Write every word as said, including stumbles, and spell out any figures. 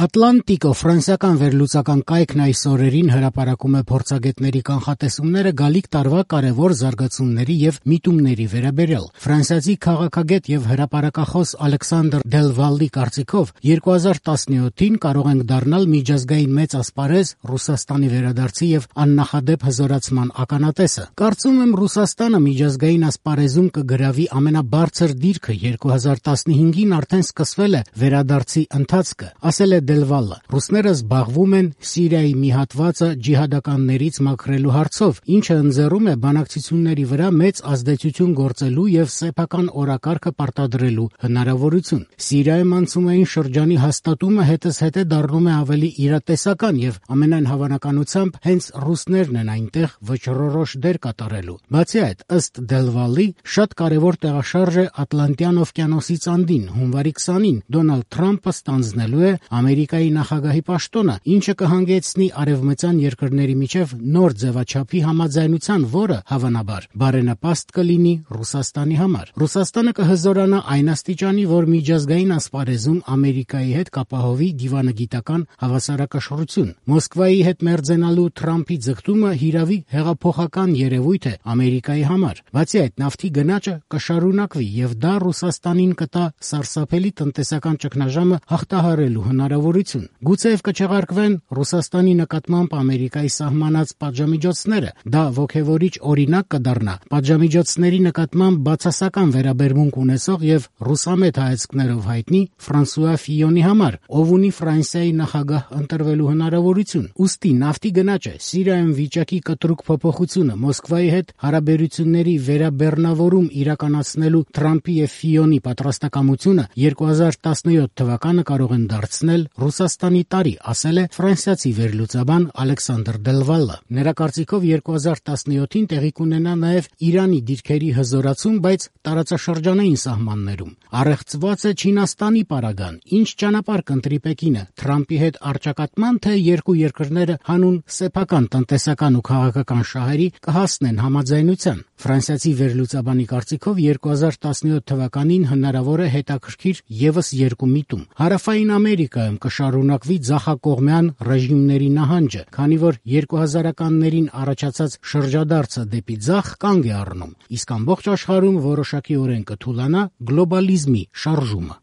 Ատլանտիկո ֆրանսիական վերլուծական կայքն այս օրերին հրապարակում է փորձագետների կանխատեսումները գալիք տարվա կարևոր զարգացումների եւ միտումների վերաբերյալ։ Ֆրանսիացի քաղաքագետ եւ հրապարակախոս Ալեքսանդր Դելվալի կարծիքով երկու հազար տասնյոթին կարող ենք դառնալ միջազգային մեծ ասպարեզ Ռուսաստանի վերադարձի եւ աննախադեպ հզորացման ականատեսը։ Կարծում եմ Ռուսաստանը միջազգային ասպարեզում կգրավի ամենաբարձր դիրքը, երկու հազար տասնհինգին արդեն սկսվել է վերադարձի ընթացքը, ասել է Դելվալը։ Ռուսները զբաղվում են Սիրիայի մի հատվածը ջիհադականներից մաքրելու հարցով, ինչը ընձեռում է բանակցությունների վրա մեծ ազդեցություն գործելու եւ սեփական օրակարգը պարտադրելու հնարավորություն։ Սիրիայում անցումային շրջանի հաստատումը հետզհետե դառնում է ավելի իրատեսական եւ ամենայն հավանականությամբ հենց ռուսներն են այնտեղ վճռորոշ դեր կատարելու։ Բացի այդ, ըստ Դելվալի, շատ կարևոր տեղաշարժ է Ատլանտյան օվկիանոսից անդին հունվարի քսանին Դոնալդ Թրամփը ստանձնելու է Ամերիկայի նախագահի պաշտոնը, ինչը կհանգեցնի արևմտյան երկրների միջև նոր ձևաչափի համաձայնության, որը հավանաբար բարենպաստ կլինի Ռուսաստանի համար։ Ռուսաստանը կհզորանա այն աստիճանի, որ միջազգային ասպարեզում Ամերիկայի հետ կապահովի դիվանագիտական հավասարակշռություն։ Մոսկվայի հետ մերձենալու Թրամփի ձգտումը հիրավի հեղափոխական երևույթ է Ամերիկայի համար։ Բացի այդ, նավթի գնաճը կշարունակվի եւ դա Ռուսաստանին կտա սարսափելի տնտեսական ճգնաժամը հաղթահարելու հնարավորություն։ Գուցեև կչեղարկվեն Ռուսաստանի նկատմամբ Ամերիկայի սահմանած պատժամիջոցները, դա ոգևորիչ օրինակ կդառնա պատժամիջոցների նկատմամբ բացասական վերաբերմունք ունեցող եւ ռուսամետ հայացքներով հայտնի Ֆրանսուଆ Ֆիյոնի համար, ով ունի Ֆրանսիայի նախագահ ընտրվելու հնարավորություն։ Ուստի նավթի գնաճը, Սիրիայում վիճակի կտրուկ փոփոխությունը, Մոսկվայի հետ հարաբերությունների վերաբեռնավորում իրականացնելու Թրամփի եւ Ֆիյոնի պատրաստակամությունը երկու հազար տասնյոթ թվականը կարող են դարձնել Ռուսաստանի տարի, ասել է ֆրանսիացի վերլուծաբան Ալեքսանդր Դելվալը։ Նրա կարծիքով երկու հազար տասնյոթին տեղի կունենա նաև Իրանի դիրքերի հզորացում, բայց տարածաշրջանային սահմաններում։ Առեղծված է Չինաստանի պարագան, ինչ ճանապարհ կընտրի Պեկինը, Թրամփի հետ առճակատման, թե երկու երկրները հանուն սեփական տնտեսական ու քաղաքական շահերի կհասնեն համաձայնության։ Ֆրանսիացի վերլուծաբանի կարծիքով երկու հազար տասնյոթ թվականին հնարավոր է հետաքրքիր եւս երկու միտում։ Հարավային Ամերիկայում կշարունակվի ձախակողմյան ռեժիմների նահանջը, քանի որ երկու հազարականներին առաջացած շրջադարձը դեպի ձախ կանգ է առնում, իսկ ամբողջ աշխարհում որոշակիորեն կթուլանա գլոբալիզմի շարժումը։